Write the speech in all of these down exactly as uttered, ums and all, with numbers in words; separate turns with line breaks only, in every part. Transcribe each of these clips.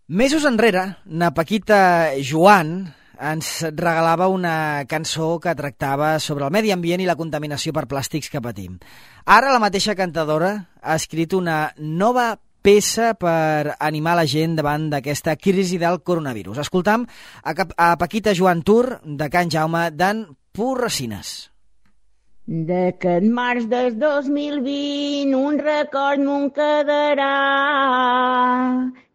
Mesos enrere, na Paquita Joan ens regalava una cançó que tractava sobre el medi ambient i la contaminació per plàstics que patim. Ara la mateixa cantadora ha escrit una nova peça per animar la gent davant d'aquesta crisi del coronavirus. Escoltam a, a Paquita Joan Tur, de Can Jaume, d'en Porresines.
D'aquest març del dos mil vint un record m'ho quedarà,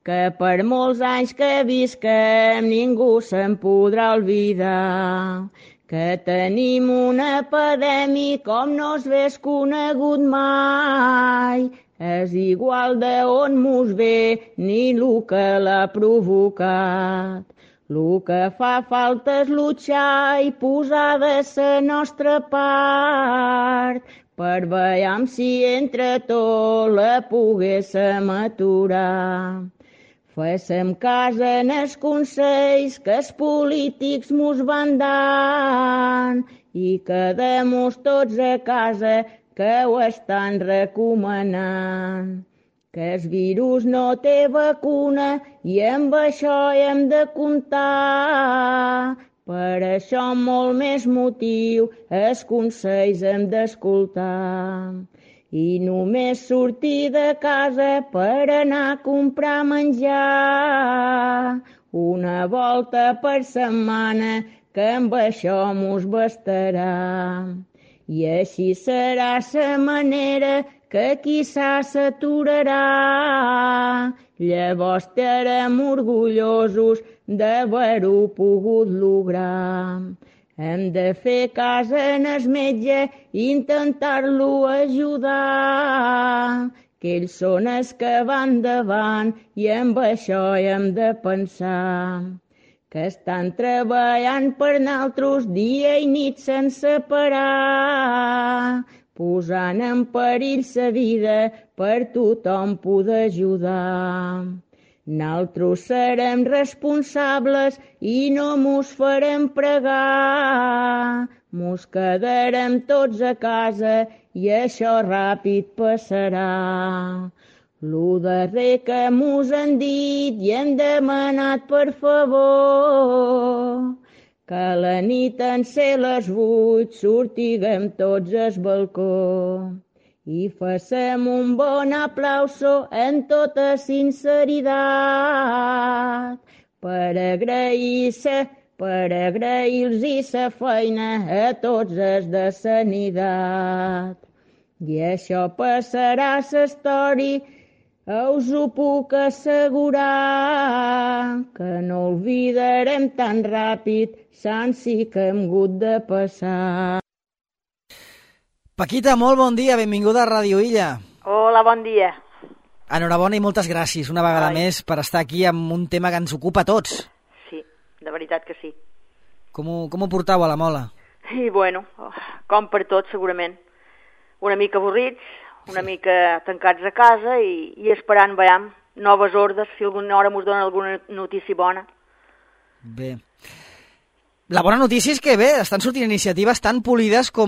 que per molts anys que visquem ningú se'n podrà oblidar, que tenim una epidèmia com no s'hagués conegut mai. És igual d'on mos ve ni el que l'ha provocat. El que fa falta és luchar i posar de la nostra part per veure si entre tots la poguéssim aturar. Féssim cas en els consells que els polítics mos van dar i quedem-nos tots a casa que ho estan recomanant. Que el virus no té vacuna i amb això hem de comptar. Per això molt més motiu els consells hem d'escoltar. I només sortir de casa per anar a comprar menjar. Una volta per setmana que amb això mos bastarà. I així serà la manera que quizà s'aturarà. Llavors estarem orgullosos d'haver-ho pogut lograr. Hem de fer cas en el metge i intentar-lo ajudar, que ells són els que van davant i amb això hem de pensar. Que estan treballant per nosaltres dia i nit sense parar, posant en perill la vida per tothom poder ajudar. Nosaltres serem responsables i no mos farem pregar. Mos quedarem tots a casa i això ràpid passarà. Lo darrer que mos han dit i hem demanat per favor, que a la nit en ser les vuit sortiguem tots al balcó i facem un bon aplauso en tota sinceritat per agrair-se, per agrair-los la feina a tots els de sanitat. I això passarà a la història, us ho puc assegurar, que no oblidarem tan ràpid sanci que hem hagut de passar.
Paquita, molt bon dia, benvinguda a Ràdio Illa.
Hola, bon dia.
Enhorabona i moltes gràcies una vegada Ai. més per estar aquí amb un tema que ens ocupa a tots.
Sí, de veritat que sí.
Com ho, com ho portau a la mola?
I bueno, com per tot segurament. Una mica avorrits, una mica tancats a casa i, i esperant, veiem, noves ordres, si alguna hora mos donen alguna notícia bona.
Bé. La bona notícia és que, bé, estan sortint iniciatives tan polides com,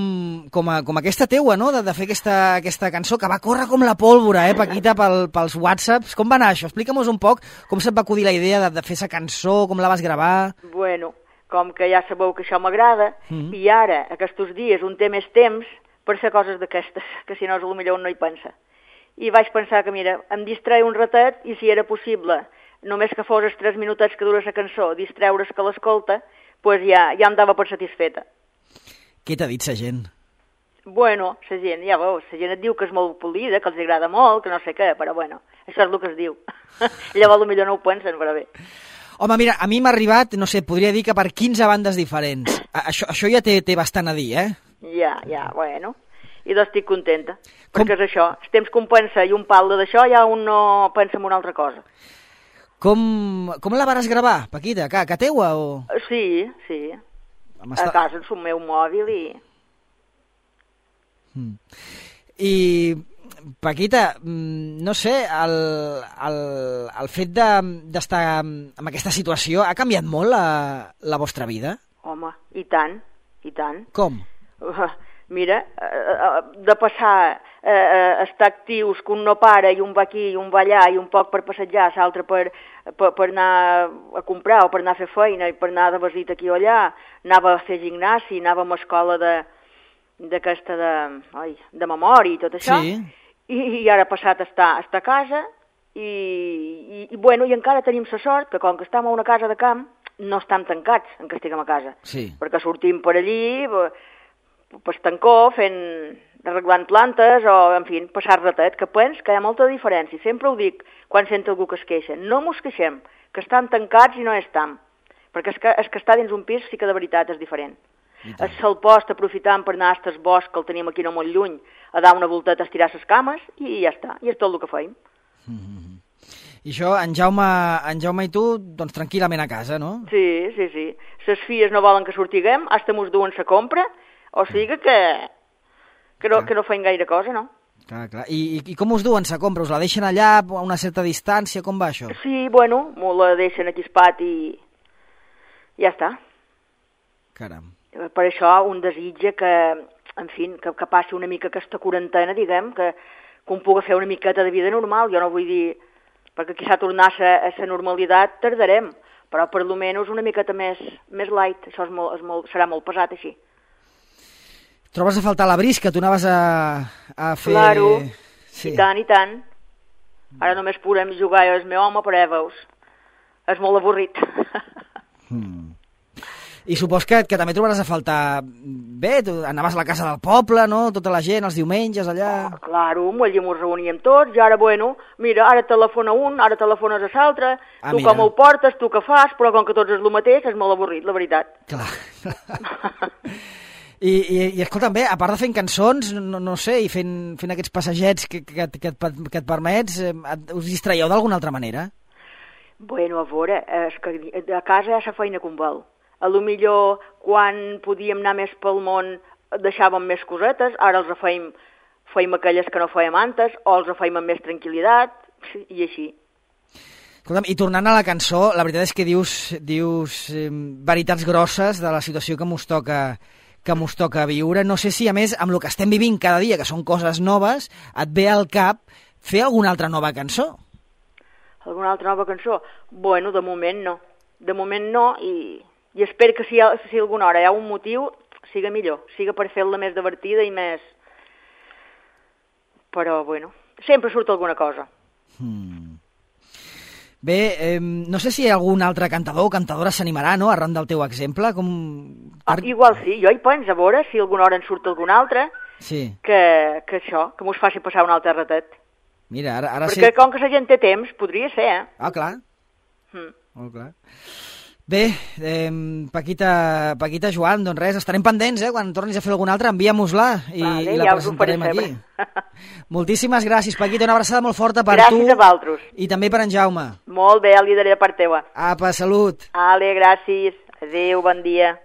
com, a, com aquesta teua, no?, de, de fer aquesta, aquesta cançó que va córrer com la pólvora, eh, Paquita, pel, pels whatsapps. Com va anar això? Explica'm un poc com se't va acudir la idea de, de fer aquesta cançó, com la vas gravar.
Bueno, com que ja sabeu que això m'agrada, mm-hmm. i ara, aquests dies, un té més temps per fer coses d'aquestes, que si no, potser no hi pensa. I vaig pensar que, mira, em distreia un ratet i si era possible, només que fos els tres minutets que dura la cançó, distreure's que l'escolta, pues ja, ja em dava per satisfeta.
Què t'ha dit la gent?
Bueno, la gent, ja veus, la gent et diu que és molt polida, que els agrada molt, que no sé què, però bueno, això és el que es diu. Llavors potser no ho pensen, però bé.
Home, mira, a mi m'ha arribat, no sé, podria dir que per quinze bandes diferents. Això, això ja té, té bastant a dir, eh?
Ja, ja, bueno, i doncs estic contenta, com? Perquè és això, el temps que un pensa i un parla d'això, ja un no pensa en una altra cosa.
Com, com la vares gravar, Paquita? Que, que teua o...?
Sí, sí,
Home,
a casa en el meu mòbil i...
Mm. I, Paquita, no sé, el, el, el fet d'estar de, en aquesta situació ha canviat molt la, la vostra vida?
Home, i tant, i tant.
Com?
Uh, mira, eh, de passar eh, a estar actius, que un no para i un va aquí i un va allà i un poc per passejar, l'altre per, per, per anar a comprar o per anar a fer feina i per anar de visita aquí o allà, anava a fer gimnasi, anàvem a escola de d'aquesta de, ai, de memòria i tot això,
sí.
I, i ara ha passat a estar, a estar a casa i, i, i, bueno, i encara tenim la sort que com que estem a una casa de camp no estem tancats en que estiguem a casa,
sí.
perquè sortim per allí per estancó fent, arreglant plantes o, en fi, passar ratet, que pens que hi ha molta diferència, sempre ho dic quan sento algú que es queixa, no mos queixem, que estan tancats i no estem, perquè és que, és que estar dins un pis sí que de veritat és diferent. Es se'l post aprofitant per anar a estes bosc, que el tenim aquí no molt lluny, a dar una volteta, a estirar les cames, i ja està, i és tot el que feim.
Mm-hmm. I això, en Jaume, en Jaume i tu, doncs tranquil·lament a casa, no?
Sí, sí, sí. Les filles no volen que sortiguem, hasta mos duen la compra, o sigui que, que, no, que no feim gaire cosa, no?
Clar, clar. I, i, I com us duen la compra? Us la deixen allà a una certa distància? Com va això?
Sí, bueno, m'ho la deixen aquí al pati i ja està.
Caram.
Per això un desitja que, en fi, que, que passi una mica aquesta quarantena, diguem, que, que un pugui fer una miqueta de vida normal. Jo no vull dir, perquè quizà tornar a la normalitat tardarem, però per lo menys una miqueta més, més light, això és molt, és molt, serà molt pesat així.
Trobes a faltar la brisca? Tu anaves a, a fer...
Claro,
sí.
I tant, i tant. Ara només podem jugar jo el meu home, però ja veus, és molt avorrit.
Hmm. I supos que, que també trobaràs a faltar... Bé, tu anaves a la casa del poble, no? Tota la gent, els diumenges, allà...
Oh, claro, allà ens reuníem tots, i ara, bueno, mira, ara telefona un, ara telefones a l'altre,
ah,
tu
mira.
com ho portes, tu què fas, però com que tots és el mateix, és molt avorrit, la veritat.
Clar. I, i, i escolta'm, bé, a part de fent cançons, no, no sé, i fent, fent aquests passegets que, que, que, et, que et permets, eh, us distraieu d'alguna altra manera?
Bueno, a veure, és que a casa ja la feina com val. A lo millor quan podíem anar més pel món deixàvem més cosetes, ara els feim, feim aquelles que no fèiem antes, o els feim amb més tranquil·litat, i així.
Escolta'm, i tornant a la cançó, la veritat és que dius, dius eh, veritats grosses de la situació que mos toca, que mos toca viure. No sé si, a més, amb el que estem vivint cada dia, que són coses noves, et ve al cap fer alguna altra nova cançó?
Alguna altra nova cançó? Bueno, de moment no. De moment no, i... I espero que si, si alguna hora hi ha un motiu, siga millor, siga per fer-la més divertida i més... Però, bueno, sempre surt alguna cosa.
Hmm. Bé, eh, no sé si hi ha algun altre cantador o cantadora s'animarà, no?, arran del teu exemple. Com...
Ah, igual sí, jo hi penso, a veure si alguna hora en surt algun altre,
sí.
que, que això, que mos faci passar un altre ratet.
Mira, ara... ara
Perquè
sí...
com que la gent té temps, podria ser, eh?
Ah, clar.
Hmm.
Molt clar. Bé, eh, Paquita, Paquita Joan, doncs res, estarem pendents, eh? Quan tornis a fer alguna altra, envia-mos-la i, vale, i la ja presentarem aquí. Moltíssimes gràcies, Paquita, una abraçada molt forta per
gràcies
tu.
Gràcies a vosaltres.
I també per en Jaume.
Molt bé, el lideré de part teua.
Apa, salut.
Ale, gràcies. Adéu, bon dia.